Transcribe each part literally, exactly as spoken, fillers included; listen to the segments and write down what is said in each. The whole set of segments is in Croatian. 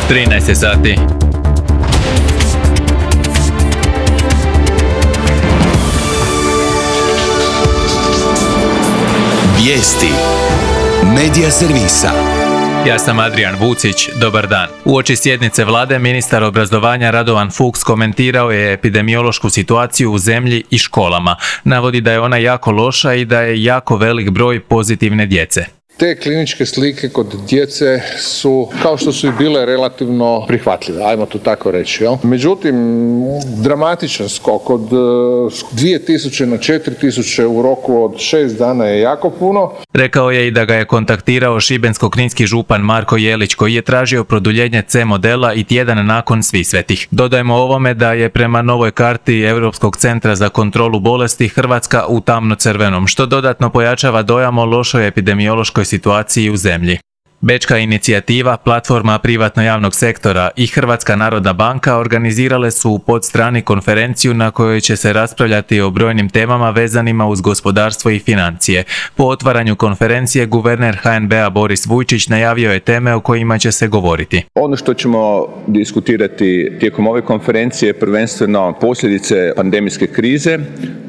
trinaest sati. Vijesti Medija servisa. Ja sam Adrian Vucić, dobar dan. Uoči sjednice vlade ministar obrazovanja Radovan Fuchs komentirao je epidemiološku situaciju u zemlji i školama. Navodi da je ona jako loša i da je jako velik broj pozitivne djece. Te kliničke slike kod djece su, kao što su i bile, relativno prihvatljive, ajmo to tako reći. Jel? Međutim, dramatičan skok od dvije tisuće na četiri tisuće u roku od šest dana je jako puno. Rekao je i da ga je kontaktirao šibensko-kninski župan Marko Jelić, koji je tražio produljenje C modela i tjedan nakon Svisvetih. Dodajmo ovome da je prema novoj karti Europskog centra za kontrolu bolesti Hrvatska u tamno-crvenom, što dodatno pojačava dojam o lošoj epidemiološkoj situaciji u zemlji. Bečka inicijativa, platforma privatno-javnog sektora i Hrvatska narodna banka organizirale su u Podstrani konferenciju na kojoj će se raspravljati o brojnim temama vezanima uz gospodarstvo i financije. Po otvaranju konferencije guverner H N B-a Boris Vujčić najavio je teme o kojima će se govoriti. Ono što ćemo diskutirati tijekom ove konferencije je prvenstveno posljedice pandemijske krize,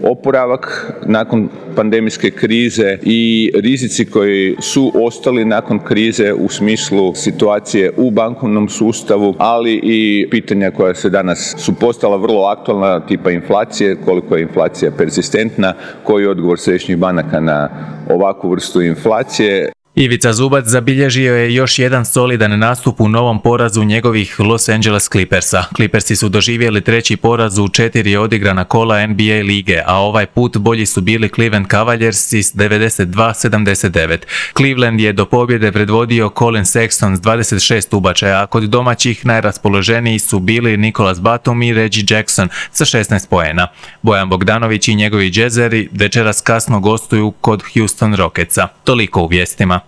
oporavak nakon pandemijske krize i rizici koji su ostali nakon krize u smislu situacije u bankovnom sustavu, ali i pitanja koja se danas su postala vrlo aktualna, tipa inflacije, koliko je inflacija persistentna, koji je odgovor središnjih banaka na ovakvu vrstu inflacije. Ivica Zubac zabilježio je još jedan solidan nastup u novom porazu njegovih Los Angeles Clippersa. Clippersi su doživjeli treći poraz u četiri odigrana kola N B A lige, a ovaj put bolji su bili Cleveland Cavaliersi s devedeset dva sedamdeset devet. Cleveland je do pobjede predvodio Colin Sexton s dvadeset šest ubačaja, a kod domaćih najraspoloženiji su bili Nicholas Batum i Reggie Jackson sa šesnaest poena. Bojan Bogdanović i njegovi Jazzeri večeras kasno gostuju kod Houston Rocketsa. Toliko u vijestima.